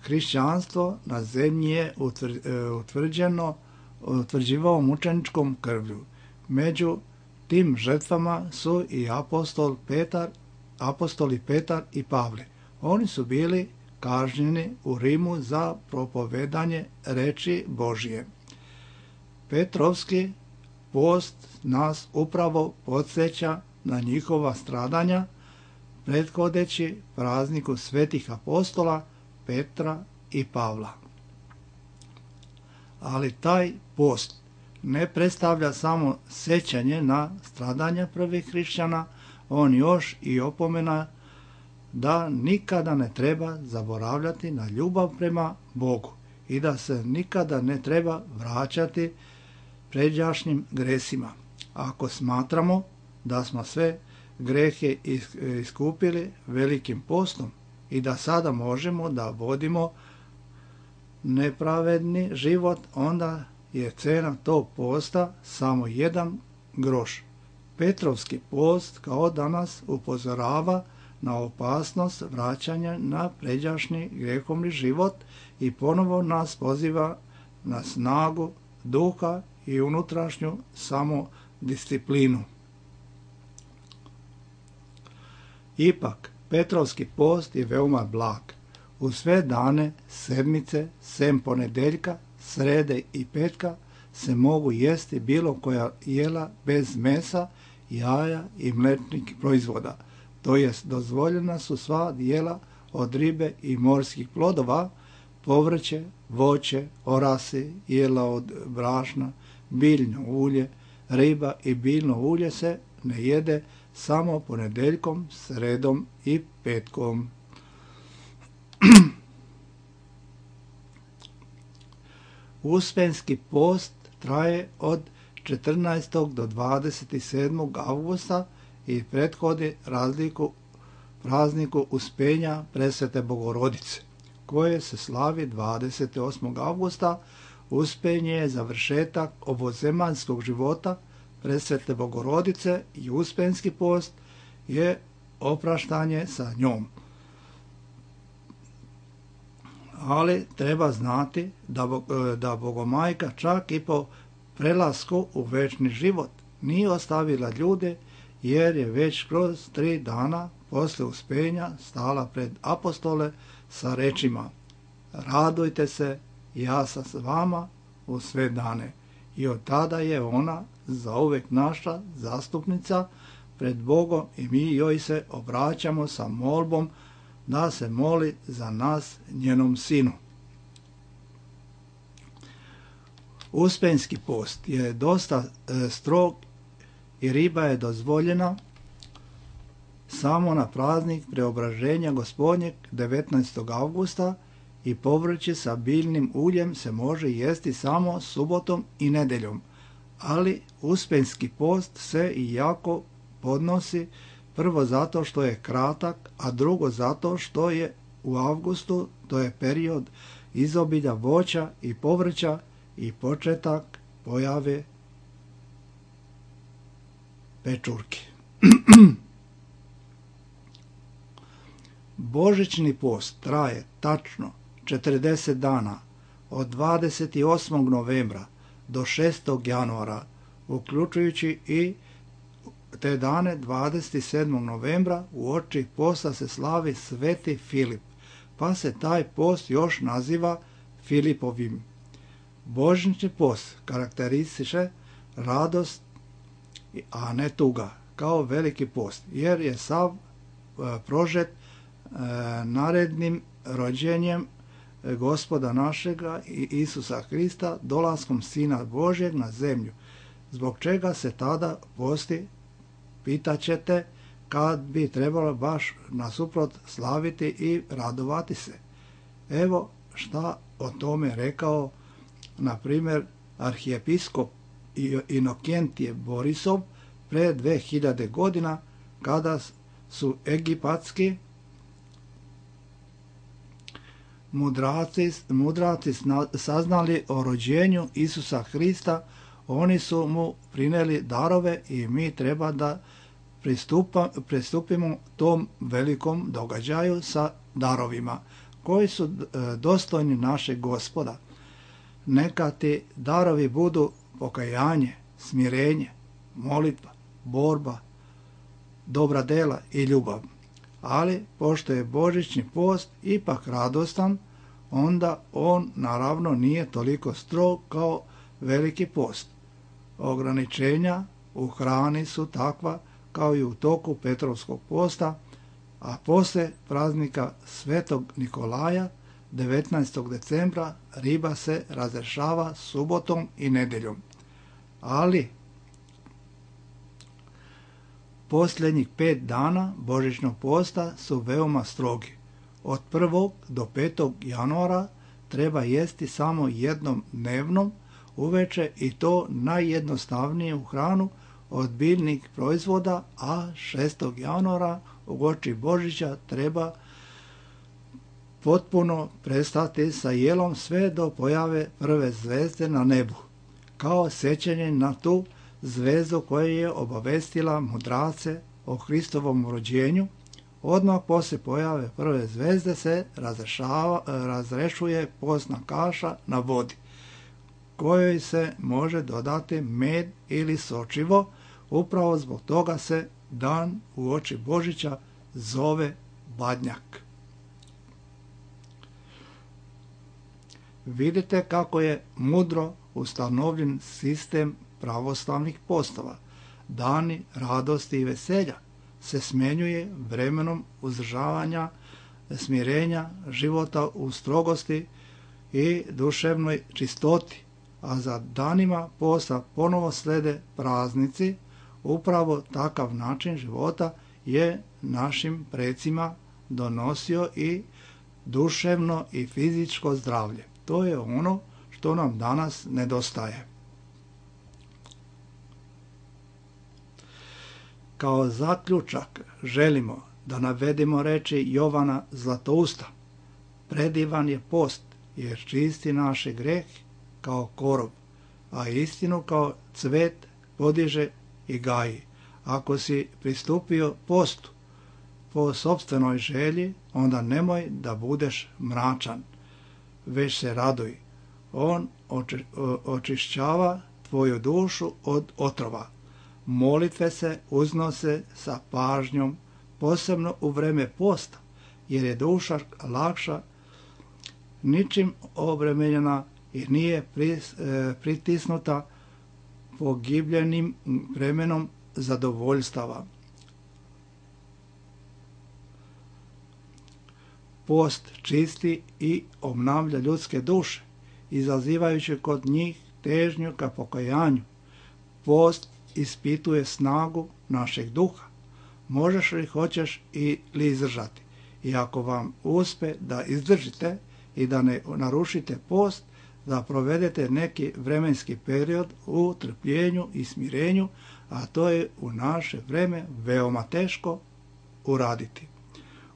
Hrišćanstvo na zemlji je utvrđivao mučeničkom krvlju. Među tim žrtvama su i apostoli Petar i Pavle. Oni su bili kažnjeni u Rimu za propovedanje reči Božje. Petrovski post nas upravo podsjeća na njihova stradanja, prethodeći prazniku svetih apostola Petra i Pavla. Ali taj post ne predstavlja samo sjećanje na stradanja prvih hrišćana, on još i opomena da nikada ne treba zaboravljati na ljubav prema Bogu i da se nikada ne treba vraćati pređašnjim gresima. Ako smatramo da smo sve grehe iskupili velikim postom i da sada možemo da vodimo nepravedni život, onda je cena tog posta samo 1 groš. Petrovski post kao danas upozorava na opasnost vraćanja na pređašnji grehovni život i ponovo nas poziva na snagu duha i unutrašnju samodisciplinu. Ipak, Petrovski post je veoma blag. U sve dane sedmice, sem ponedeljka, srede i petka, se mogu jesti bilo koja jela bez mesa, jaja i mlečnih proizvoda. To jest, dozvoljena su sva jela od ribe i morskih plodova, povrće, voće, orasi, jela od brašna, biljno ulje, riba i biljno ulje se ne jede samo ponedeljkom, sredom i petkom. Uspenski post traje od 14. do 27. avgusta i prethodi prazniku Uspenja Presvete Bogorodice, koje se slavi 28. avgusta. Uspenje je završetak ovozemaljskog života Presvete Bogorodice i Uspenski post je opraštanje sa njom. Ali treba znati da Bogomajka čak i po prelasku u večni život nije ostavila ljude, jer je već kroz 3 dana posle Uspenja stala pred apostole sa rečima: radujte se, ja sam s vama u sve dane. I od tada je ona zauvek naša zastupnica pred Bogom i mi joj se obraćamo sa molbom da se moli za nas, njenom sinu. Uspenski post je dosta strog i riba je dozvoljena samo na praznik Preobraženja Gospodnjeg 19. avgusta i povrće sa biljnim uljem se može jesti samo subotom i nedeljom, ali Uspenski post se i jako podnosi, prvo zato što je kratak, a drugo zato što je u avgustu, to je period izobilja voća i povrća i početak pojave pečurke. Božićni post traje tačno 40 dana, od 28. novembra do 6. januara, uključujući i te dane 27. novembra uoči posta se slavi Sveti Filip, pa se taj post još naziva Filipovim. Božićni post karakteristiše radost, a ne tuga, kao veliki post, jer je sav prožet narednim rođenjem Gospoda našega i Isusa Hrista, dolaskom Sina Božjeg na zemlju. Zbog čega se tada posti, pitaćete, kad bi trebalo baš nasuprot slaviti i radovati se. Evo šta o tome rekao, na primjer, arhijepiskop Inokentije Borisov pre 2000 godina, kada su egipatski mudraci saznali o rođenju Isusa Hrista. Oni su mu prineli darove i mi treba da pristupimo tom velikom događaju sa darovima koji su dostojni našeg Gospoda. Neka ti darovi budu pokajanje, smirenje, molitva, borba, dobra dela i ljubav. Ali, pošto je božićni post ipak radostan, onda on naravno nije toliko strog kao veliki post. Ograničenja u hrani su takva kao i u toku Petrovskog posta, a posle praznika Svetog Nikolaja 19. decembra riba se razrešava subotom i nedeljom. Ali posljednjih 5 dana božićnog posta su veoma strogi. Od 1. do 5. januara treba jesti samo jednom dnevnom uveče i to najjednostavniju hranu od biljnih proizvoda, a 6. januara uoči Božića treba potpuno prestati sa jelom sve do pojave prve zvezde na nebu, kao sjećanje na tu zvezdu koja je obavestila mudrace o Hristovom rođenju. Odmah poslije pojave prve zvezde se razrešuje postna kaša na vodi, kojoj se može dodati med ili sočivo. Upravo zbog toga se dan uoči Božića zove Badnjak. Vidite kako je mudro ustanovljen sistem pravoslavnih postova. Dani radosti i veselja se smenjuje vremenom uzdržavanja, smirenja, života u strogosti i duševnoj čistoti, a za danima posta ponovo slede praznici. Upravo takav način života je našim precima donosio i duševno i fizičko zdravlje. To je ono što nam danas nedostaje. Kao zaključak želimo da navedemo reči Jovana Zlatousta. Predivan je post jer čisti naše greh kao korov, a istinu kao cvet podiže i gaji. Ako si pristupio postu po sopstvenoj želji, onda nemoj da budeš mračan, već se raduj. On očišćava tvoju dušu od otrova. Molitve se uznose sa pažnjom, posebno u vreme posta, jer je duša lakša, ničim obremenjena i nije pritisnuta pogibljenim vremenom zadovoljstava. Post čisti i obnavlja ljudske duše, izazivajući kod njih težnju ka pokajanju. Post ispituje snagu našeg duha. Možeš li, hoćeš ili izdržati. I ako vam uspe da izdržite i da ne narušite post, da provedete neki vremenski period u trpljenju i smirenju, a to je u naše vreme veoma teško uraditi.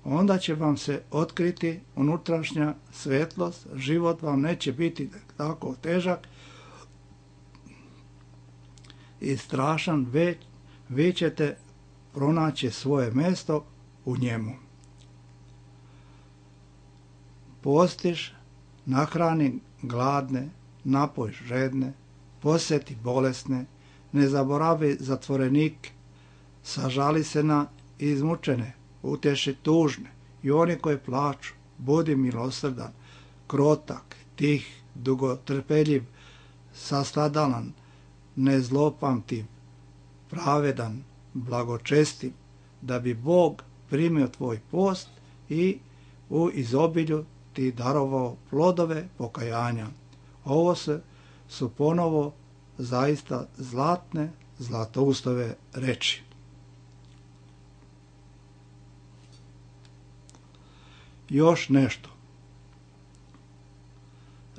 Onda će vam se otkriti unutrašnja svetlost, život vam neće biti tako težak i strašan, vi ćete pronaći svoje mjesto u njemu. Postiš, nahrani gladne, napoj žedne, posjeti bolesne, ne zaboravi zatvorenike, sažali se na izmučene, utješi tužne i oni koji plaču, budi milosrdan, krotak, tih, dugotrpeljiv, sastadalan, nezlopamtiv, pravedan, blagočestiv, da bi Bog primio tvoj post i u izobilju ti darovao plodove pokajanja. Ovo su ponovo zaista zlatne, Zlatoustove reči. Još nešto.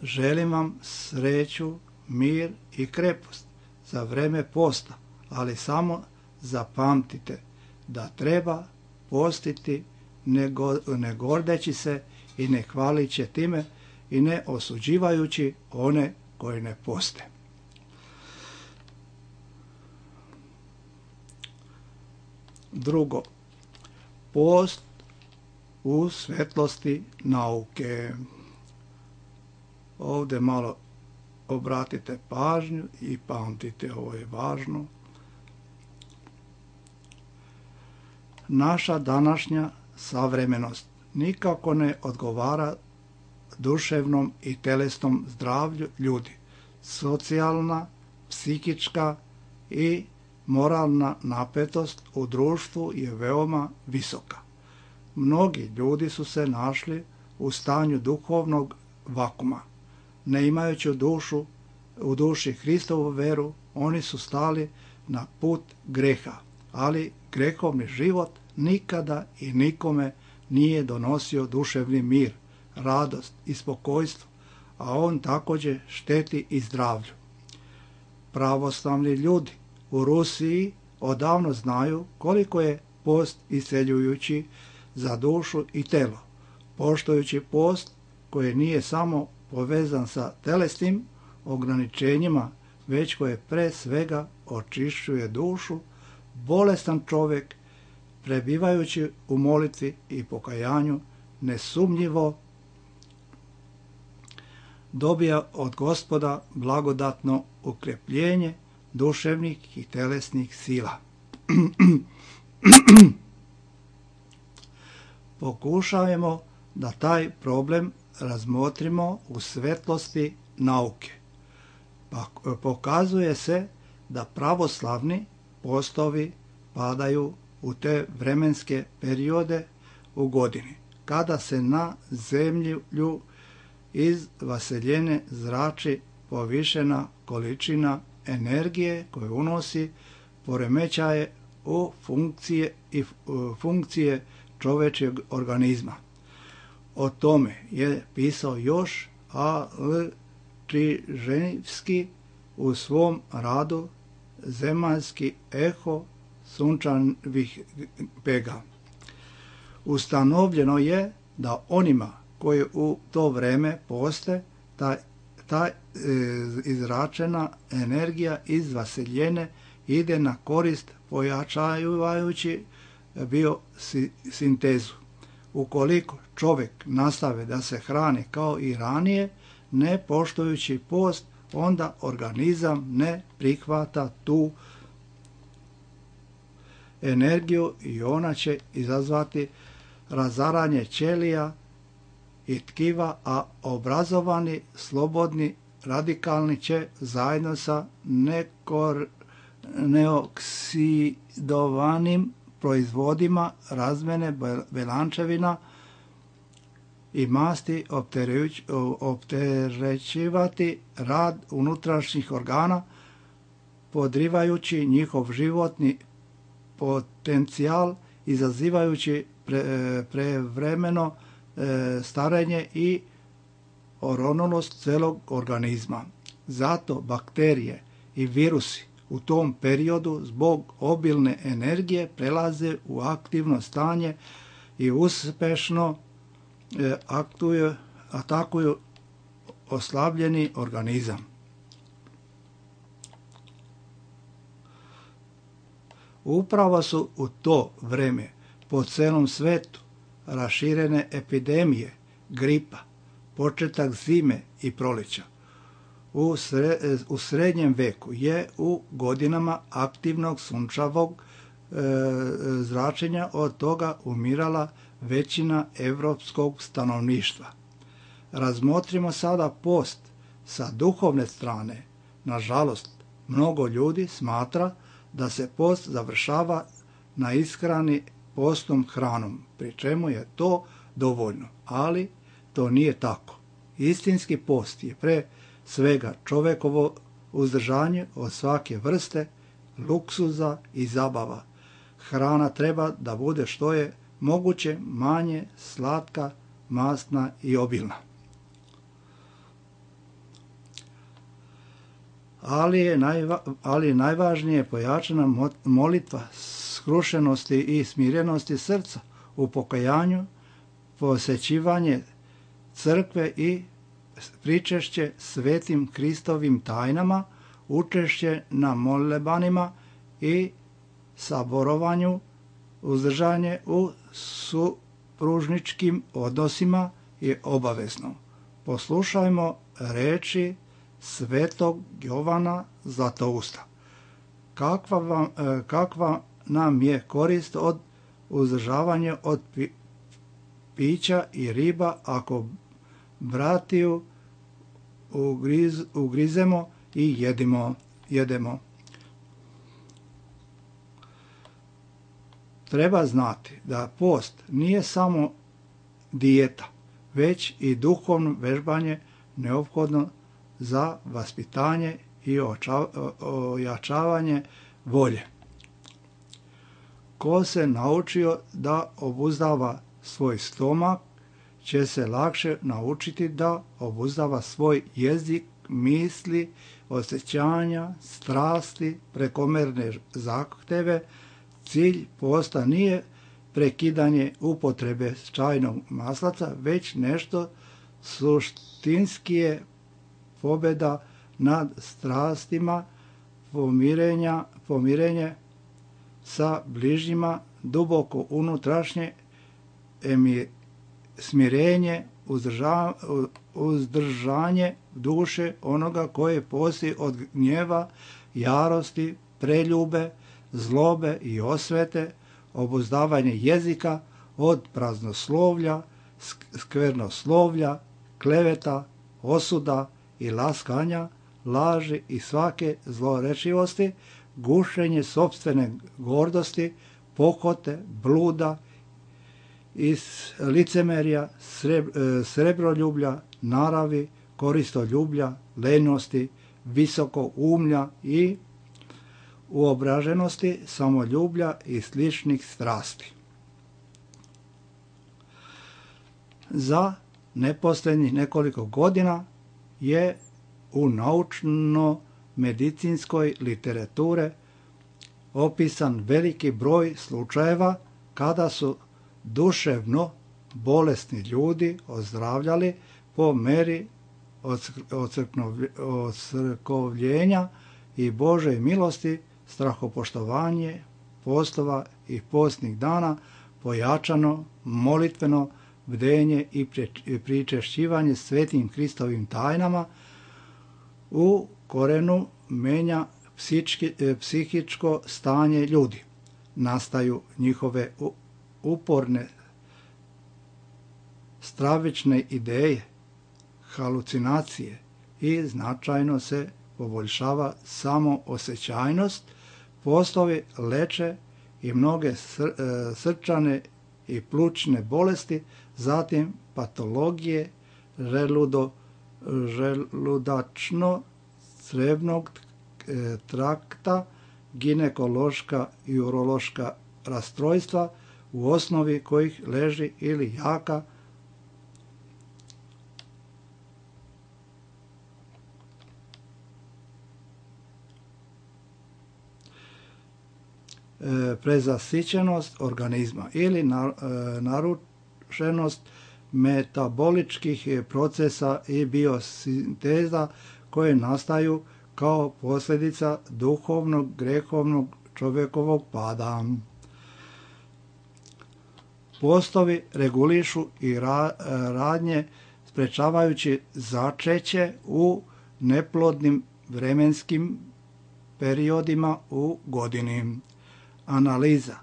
Želim vam sreću, mir i krepost za vreme posta, ali samo zapamtite da treba postiti ne gordeći se i ne hvalići time i ne osuđivajući one koji ne poste. Drugo, post u svetlosti nauke. Ovdje malo obratite pažnju i pamtite, ovo je važno. Naša današnja savremenost nikako ne odgovara duševnom i telesnom zdravlju ljudi. Socijalna, psihička i moralna napetost u društvu je veoma visoka. Mnogi ljudi su se našli u stanju duhovnog vakuma. Ne imajući u duši Hristovu veru, oni su stali na put greha, ali grehovni život nikada i nikome nije donosio duševni mir, radost i spokojstvo, a on također šteti i zdravlju. Pravoslavni ljudi u Rusiji odavno znaju koliko je post isceljujući za dušu i telo, poštujući post koji nije samo povezan sa telesnim ograničenjima, već koje pre svega očišćuje dušu, bolestan čovjek, prebivajući u molitvi i pokajanju, nesumnjivo dobija od Gospoda blagodatno ukrepljenje duševnih i telesnih sila. Pokušajmo da taj problem razmotrimo u svetlosti nauke. Pokazuje se da pravoslavni postovi padaju u te vremenske periode u godini, kada se na zemlju iz vaseljene zrači povišena količina energije koju unosi poremećaje u funkcije čovječeg organizma. O tome je pisao još A.L. Čiževski u svom radu Zemaljski eho sunčanih pega. Ustanovljeno je da onima koji u to vreme poste, ta izračena energija iz vaseljene ide na korist pojačavajući biosintezu. Ukoliko čovjek nastave da se hrani kao i ranije, ne poštujući post, onda organizam ne prihvata tu energiju i ona će izazvati razaranje ćelija i tkiva, a obrazovani, slobodni, radikalni će zajedno sa neoksidovanim proizvodima razmene belančevina i masti opterećivati rad unutrašnjih organa, podrivajući njihov životni potencijal, izazivajući prevremeno starenje i oronulost celog organizma. Zato bakterije i virusi u tom periodu zbog obilne energije prelaze u aktivno stanje i uspešno atakuju oslabljeni organizam. Upravo su u to vreme po celom svetu raširene epidemije, gripa, početak zime i proleća. U srednjem veku je u godinama aktivnog sunčevog zračenja od toga umirala većina evropskog stanovništva. Razmotrimo sada post sa duhovne strane. Nažalost, mnogo ljudi smatra da se post završava na ishrani postnom hranom, pri čemu je to dovoljno, ali to nije tako. Istinski post je pre svega čovekovo uzdržanje od svake vrste, luksuza i zabava. Hrana treba da bude što je moguće manje slatka, masna i obilna. Ali najvažnije pojačana molitva skrušenosti i smirenosti srca u pokajanju, posjećivanje crkve i pričešće svetim Kristovim tajnama, učešće na molebanima i saborovanju, uzdržanje u supružničkim odnosima je obavezno. Poslušajmo reči svetog Jovana Zlatousta. Kakva nam je korist od uzdržavanja od pića i riba ako bratiju ugrizemo i jedemo. Treba znati da post nije samo dijeta, već i duhovno vežbanje neophodno za vaspitanje i ojačavanje volje. Ko se naučio da obuzdava svoj stomak, će se lakše naučiti da obuzdava svoj jezik, misli, osjećanja, strasti, prekomerne zahteve. Cilj posta nije prekidanje upotrebe čajnog maslaca, već nešto suštinskije, pobjeda nad strastima, pomirenje sa bližnjima, duboko unutrašnje smirenje, uzdržanje duše onoga koje postoji od gnjeva, jarosti, preljube, zlobe i osvete, obuzdavanje jezika od praznoslovlja, skvernoslovlja, kleveta, osuda i laskanja, laži i svake zlorečivosti, gušenje sopstvene gordosti, pohote, bluda, iz licemerja, srebroljublja, naravi, koristoljublja, lenjosti, visokoumlja i uobraženosti, samoljublja i sličnih strasti. Za neposljednjih nekoliko godina je u naučno-medicinskoj literature opisan veliki broj slučajeva kada su duševno bolesni ljudi ozdravljali po meri ocrkovljenja i Božoj milosti, strahopoštovanje, postova i postnih dana, pojačano, molitveno bdenje i pričešćivanje svetim Kristovim tajnama u korenu menja psihičko stanje ljudi. Nastaju njihove uporne stravične ideje, halucinacije i značajno se poboljšava samoosjećajnost, postovi leče i mnoge srčane i plućne bolesti, zatim patologije želudačno-crijevnog trakta, ginekološka i urološka rastrojstva, u osnovi kojih leži ili jaka prezasićenost organizma ili narušenost metaboličkih procesa i biosinteza koje nastaju kao posljedica duhovnog, grehovnog čovjekovog pada. Postovi regulišu i radnje sprečavajući začeće u neplodnim vremenskim periodima u godini. Analiza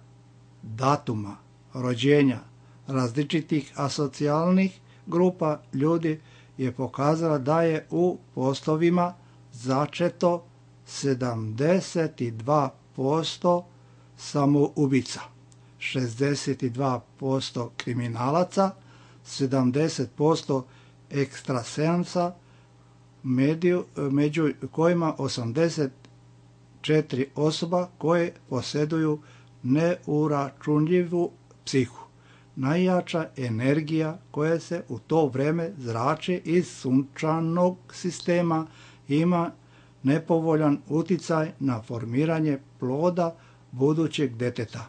datuma rođenja različitih asocijalnih grupa ljudi je pokazala da je u postovima začeto 72% samoubica, 62% kriminalaca, 70% ekstrasensa, među kojima 84 osoba koje posjeduju neuračunljivu psihu. Najjača energija koja se u to vrijeme zrači iz sunčanog sistema ima nepovoljan utjecaj na formiranje ploda budućeg djeteta.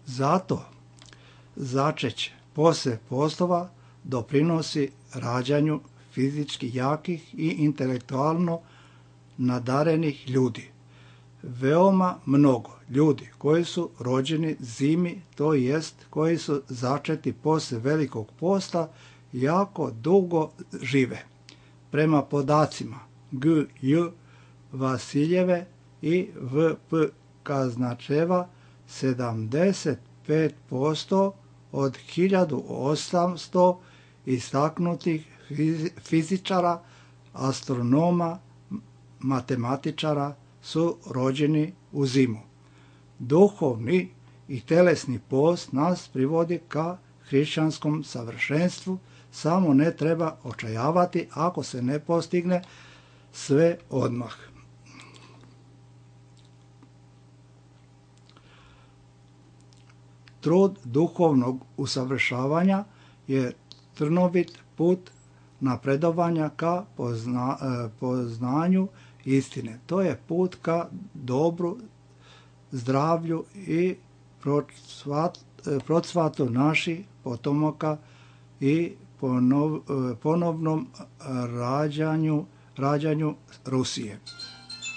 Zato začeće poslije poslova doprinosi rađanju fizički jakih i intelektualno nadarenih ljudi. Veoma mnogo ljudi koji su rođeni zimi, to jest koji su začeti poslije Velikog posta, jako dugo žive. Prema podacima G.J. Vasiljeve i V.P. Kaznačeva, 75% od 1800 istaknutih fizičara, astronoma, matematičara su rođeni u zimu. Duhovni i telesni post nas privodi ka hrišćanskom savršenstvu, samo ne treba očajavati ako se ne postigne sve odmah. Trud duhovnog usavršavanja je trnovit put napredovanja ka poznanju istine. To je put ka dobru, zdravlju i procvatu naših potomaka i ponovnom rađanju Rusije.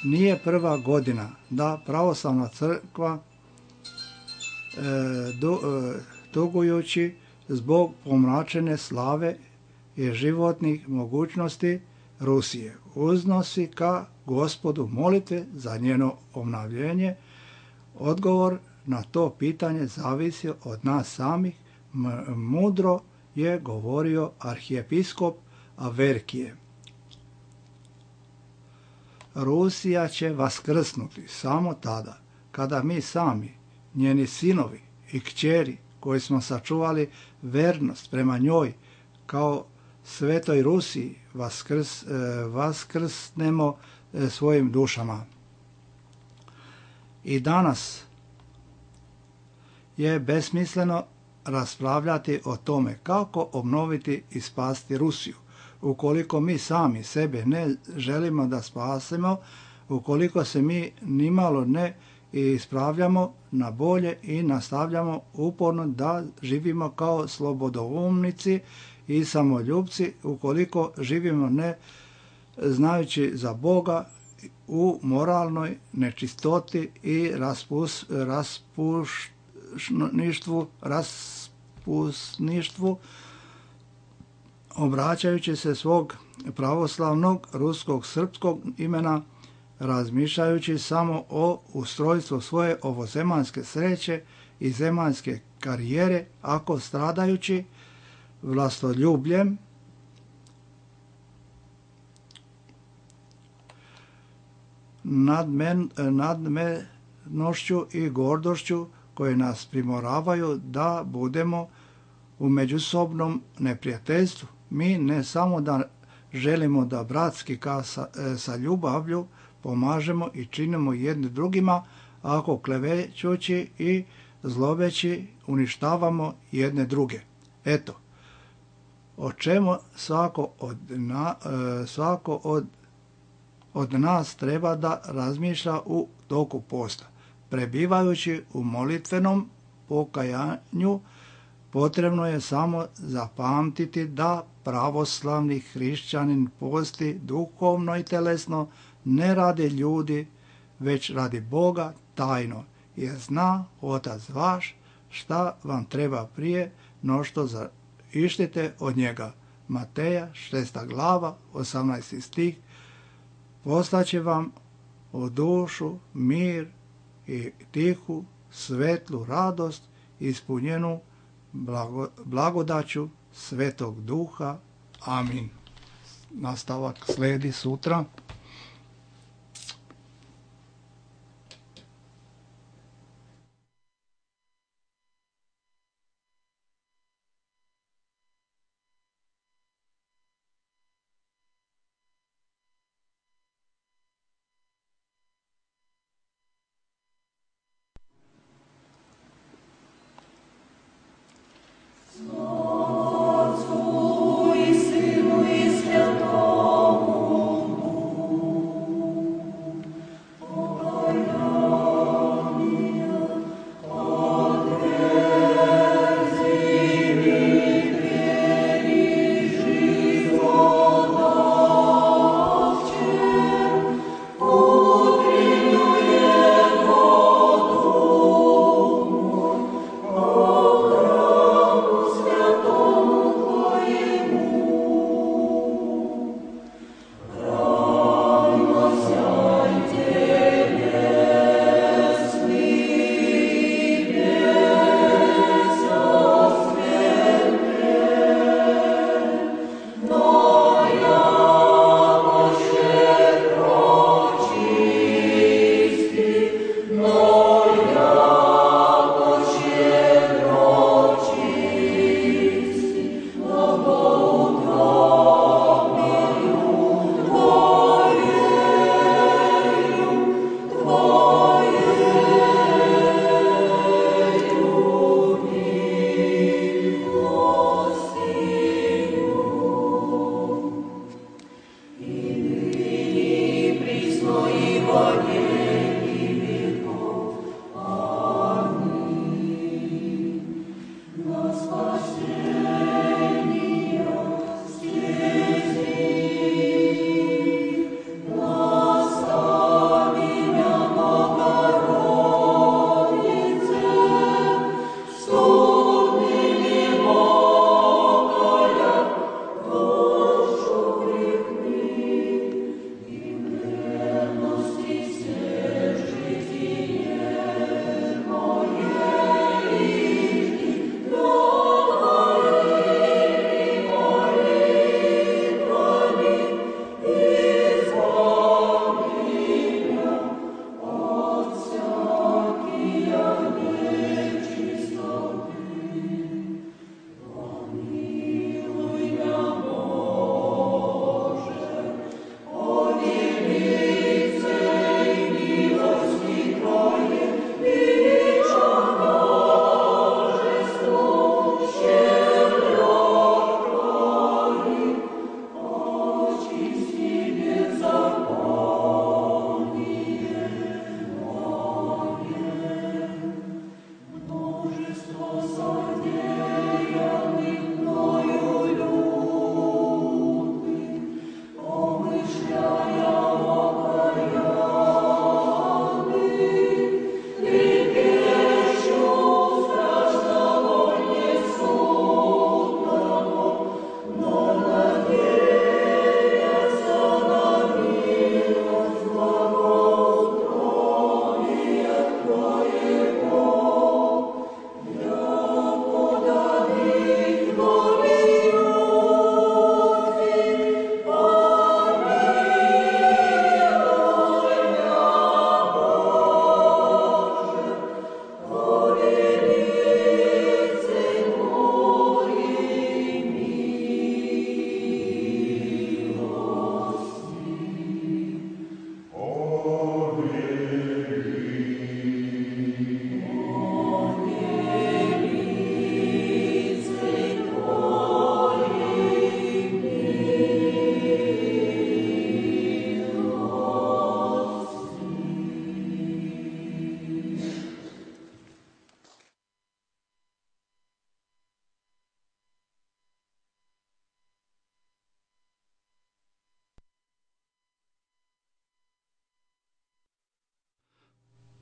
Nije prva godina da pravoslavna crkva tugujući zbog pomračene slave i životnih mogućnosti Rusije uznosi ka Gospodu molitve za njeno obnavljenje. Odgovor na to pitanje zavisi od nas samih. Mudro je govorio arhijepiskop Averkije. Rusija će vaskrsnuti samo tada kada mi sami, njeni sinovi i kćeri koji smo sačuvali vernost prema njoj kao svetoj Rusiji vaskrsnemo svojim dušama. I danas je besmisleno raspravljati o tome kako obnoviti i spasiti Rusiju. Ukoliko mi sami sebe ne želimo da spasimo, ukoliko se mi nimalo ne ispravljamo na bolje i nastavljamo uporno da živimo kao slobodoumnici i samoljubci, ukoliko živimo ne znajući za Boga u moralnoj nečistoti i raspusništvu, obraćajući se svog pravoslavnog ruskog srpskog imena, razmišljajući samo o ustrojstvu svoje ovozemaljske sreće i zemaljske karijere, ako stradajući vlastoljubljem, nadmenošću i gordošću koje nas primoravaju da budemo u međusobnom neprijateljstvu. Mi ne samo da želimo da bratski sa ljubavlju pomažemo i činimo jedni drugima, ako klevećući i zlobeći uništavamo jedne druge. Eto, o čemu svako od nas treba da razmišlja u toku posta. Prebivajući u molitvenom pokajanju, potrebno je samo zapamtiti da pravoslavni hrišćanin posti duhovno i telesno ne radi ljudi, već radi Boga tajno, jer zna Otac vaš šta vam treba prije no što ištite od njega. Mateja 6. glava 18. stih. Poslaće vam u dušu mir i tihu, svetlu radost, ispunjenu blagodaću Svetog Duha. Amin. Nastavak slijedi sutra.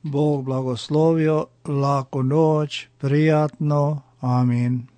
Bog blagoslovio, laku noć, prijatno, amin.